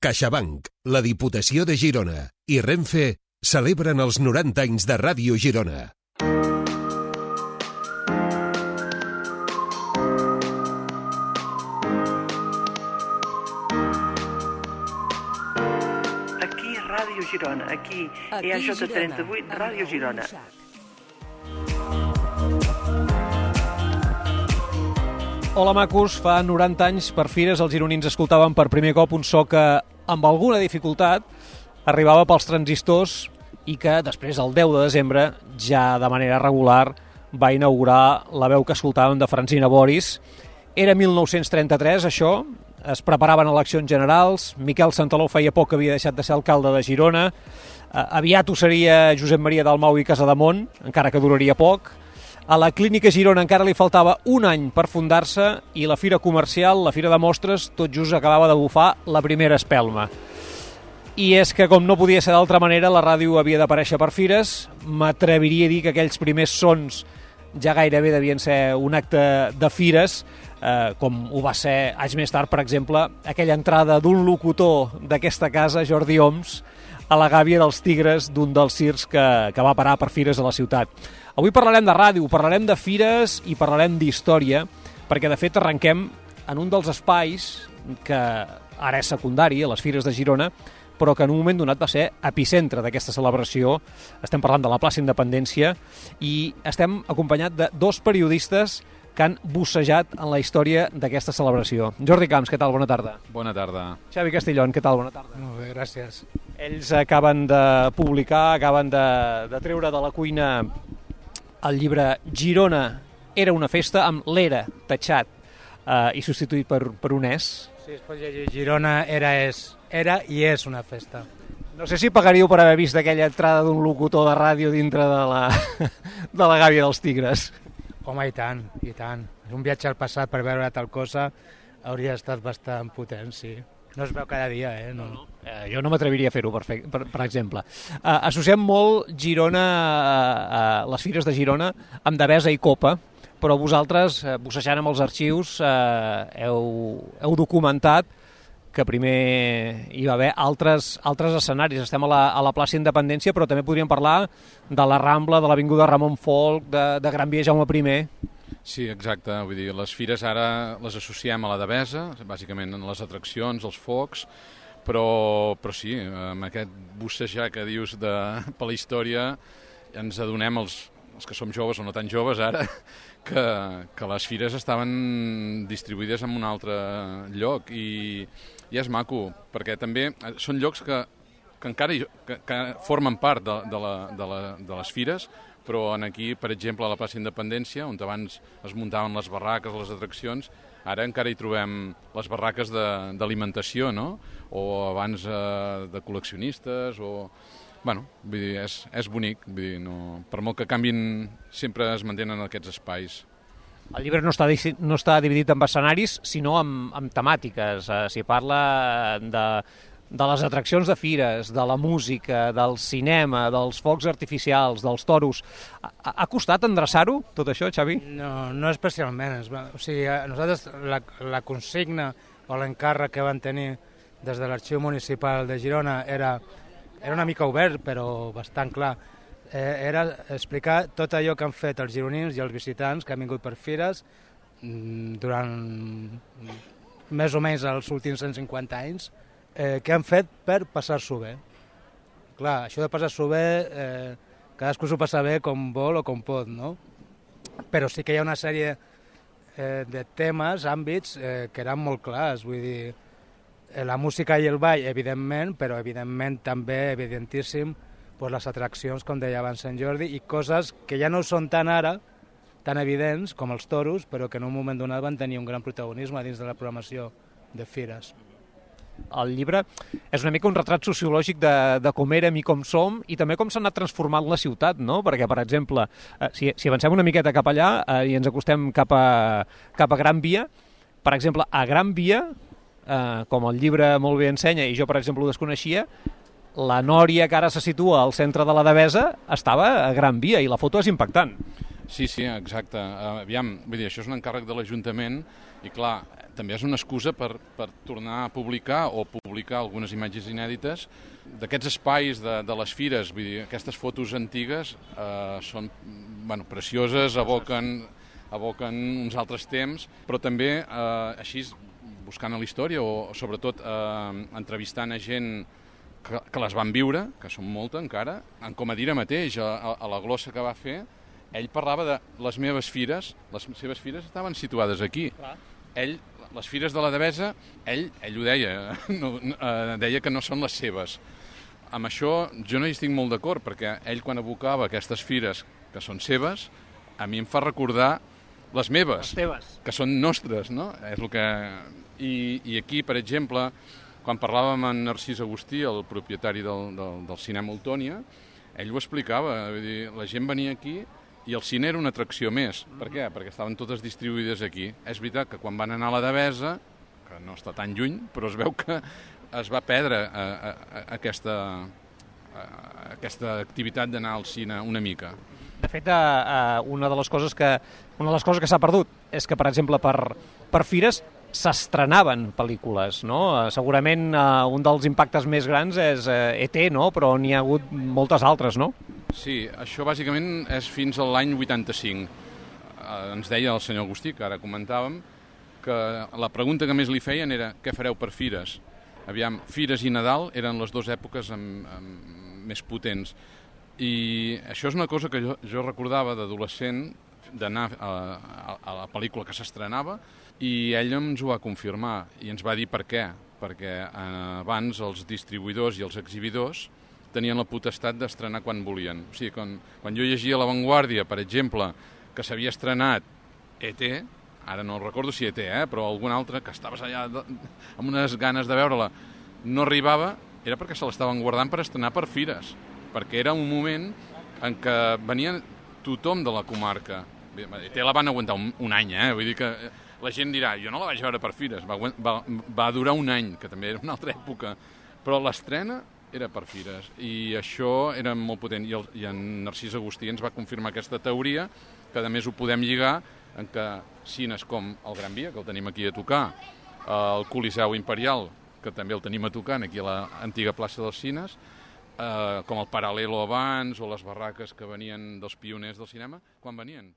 CaixaBank, la Diputació de Girona i Renfe celebren els 90 anys de Ràdio Girona. Aquí Ràdio Girona, aquí EAJ38 Ràdio Girona. Hola macos, fa 90 anys per Fires els gironins escoltaven per primer cop un so que, amb alguna dificultat, arribava pels transistors i que després, el 10 de desembre, ja de manera regular, va inaugurar la veu que escoltàvem de Francina Boris. Era 1933, això, es preparaven eleccions generals, Miquel Santaló feia poc que havia deixat de ser alcalde de Girona, aviat ho seria Josep Maria Dalmau i Casademont, encara que duraria poc. A la Clínica Girona encara li faltava un any per fundar-se i la fira comercial, la fira de mostres, tot just acabava de bufar la primera espelma. I és que, com no podia ser d'altra manera, la ràdio havia d'aparèixer per fires. M'atreviria a dir que aquells primers sons ja gairebé devien ser un acte de fires, com ho va ser anys més tard, per exemple, aquella entrada d'un locutor d'aquesta casa, Jordi Oms, a la gàbia dels tigres d'un dels circs que va parar per fires a la ciutat. Avui parlarem de ràdio, parlarem de fires i parlarem d'història, perquè de fet arrenquem en un dels espais que ara és secundari, a les Fires de Girona, però que en un moment donat va ser epicentre d'aquesta celebració. Estem parlant de la plaça Independència i estem acompanyats de dos periodistes que han bussejat en la història d'aquesta celebració. Jordi Camps, què tal? Bona tarda. Bona tarda. Xavi Castellón, què tal? Bona tarda. Molt bé, gràcies. Ells acaben de publicar, acaben de treure de la cuina el llibre Girona era una festa, amb l'era tatxat i substituït per un és. Sí, es pot llegir Girona era i és una festa. No sé si pagaríeu per haver vist aquella entrada d'un locutor de ràdio dintre de la gàbia dels tigres. Home, i tant, i tant. Un viatge al passat per veure tal cosa hauria estat bastant potent, sí. No es veu cada dia, No. Jo no m'atreviria a fer-ho, per exemple. Associem molt Girona, les Fires de Girona, amb Devesa i Copa, però vosaltres, bussejant amb els arxius, heu documentat que primer hi va haver altres escenaris. Estem a la plaça Independència, però també podríem parlar de la Rambla, de l'Avinguda Ramon Folch, de Gran Via Jaume I. Sí, exacte. Vull dir, les fires ara les associem a la Devesa, bàsicament en les atraccions, els focs, però sí, amb aquest bussejar que dius per la història ens adonem, els que som joves o no tan joves ara, que les fires estaven distribuïdes en un altre lloc i és maco, perquè també són llocs que encara que formen part de les fires, però aquí, per exemple, a la plaça Independència, on abans es muntaven les barraques, les atraccions, ara encara hi trobem les barraques d'alimentació, no? O abans de col·leccionistes, o... Bueno, vull dir, és bonic, vull dir, no, per molt que canvin, sempre es mantenen aquests espais. El llibre no està dividit en escenaris, sinó en temàtiques. S'hi parla de les atraccions de fires, de la música, del cinema, dels focs artificials, dels toros. Ha costat endreçar-ho, tot això, Xavi? No especialment. O sigui, nosaltres la consigna o l'encàrrec que van tenir des de l'Arxiu Municipal de Girona era una mica obert, però bastant clar. Era explicar tot allò que han fet els gironins i els visitants que han vingut per fires durant més o menys els últims 150 anys, que han fet per passar-s'ho bé. Clar, això de passar-s'ho bé, cadascú s'ho passa bé com vol o com pot, no? Però sí que hi ha una sèrie de temes, àmbits, que eren molt clars, vull dir, la música i el ball, evidentment, però evidentment també, evidentíssim, les atraccions, com deia abans Sant Jordi, i coses que ja no són tan ara, tan evidents com els toros, però que en un moment donat van tenir un gran protagonisme dins de la programació de fires. El llibre és una mica un retrat sociològic de com érem i com som i també com s'ha anat transformant la ciutat, no? Perquè, per exemple, si avancem una miqueta cap allà i ens acostem cap a Gran Via, per exemple, a Gran Via, com el llibre molt bé ensenya, i jo, per exemple, ho desconeixia, la Nòria, que ara se situa al centre de la Devesa, estava a Gran Via i la foto és impactant. Sí, exacte. Aviam, vull dir, això és un encàrrec de l'Ajuntament I clar, també és una excusa per tornar a publicar o publicar algunes imatges inèdites d'aquests espais de les fires. Vull dir, aquestes fotos antigues són precioses, aboquen uns altres temps, però també així buscant a la història o sobretot entrevistant a gent que les van viure, que són molta encara. En Comadira mateix, a la glossa que va fer, ell parlava de les meves fires, les seves fires estaven situades aquí. Ell, les fires de la Devesa, ell ho deia, deia que no són les seves. Amb això jo no hi estic molt d'acord, perquè ell quan evocava aquestes fires que són seves, a mi em fa recordar les meves, que són nostres, no? És el que... I aquí, per exemple, quan parlàvem amb Narcís Agustí, el propietari del cinema Ultònia, ell ho explicava, vull dir, la gent venia aquí i el cine era una atracció més. Per què? Perquè estaven totes distribuïdes aquí. És veritat que quan van anar a la Devesa, que no està tan lluny, però es veu que es va perdre aquesta activitat d'anar al cine una mica. De fet, una de les coses que s'ha perdut és que, per exemple, per fires s'estrenaven pel·lícules, no? Segurament un dels impactes més grans és ET, no? Però n'hi ha hagut moltes altres, no? Sí, això bàsicament és fins a l'any 85. Ens deia el senyor Agustí, que ara comentàvem, que la pregunta que més li feien era què fareu per fires? Aviam, fires i Nadal eren les dues èpoques més potents. I això és una cosa que jo recordava d'adolescent, d'anar a la pel·lícula que s'estrenava, i ell ens ho va confirmar i ens va dir per què. Perquè abans els distribuïdors i els exhibidors tenien la potestat d'estrenar quan volien. O sigui, quan jo llegia La Vanguardia, per exemple, que s'havia estrenat ET, ara no recordo si ET, però algun altre, que estaves allà amb unes ganes de veure-la, no arribava, era perquè se l'estaven guardant per estrenar per fires, perquè era un moment en què venia tothom de la comarca. ET la van aguantar un any, vull dir que la gent dirà, jo no la vaig veure per fires, va durar un any, que també era una altra època, però l'estrena era per fires, i això era molt potent, i en Narcís Agustí ens va confirmar aquesta teoria, que a més ho podem lligar en què cines com el Gran Via, que el tenim aquí a tocar, el Coliseu Imperial, que també el tenim a tocar aquí a l'antiga plaça dels Cines, com el Paral·lelo abans, o les barraques que venien dels pioners del cinema, quan venien?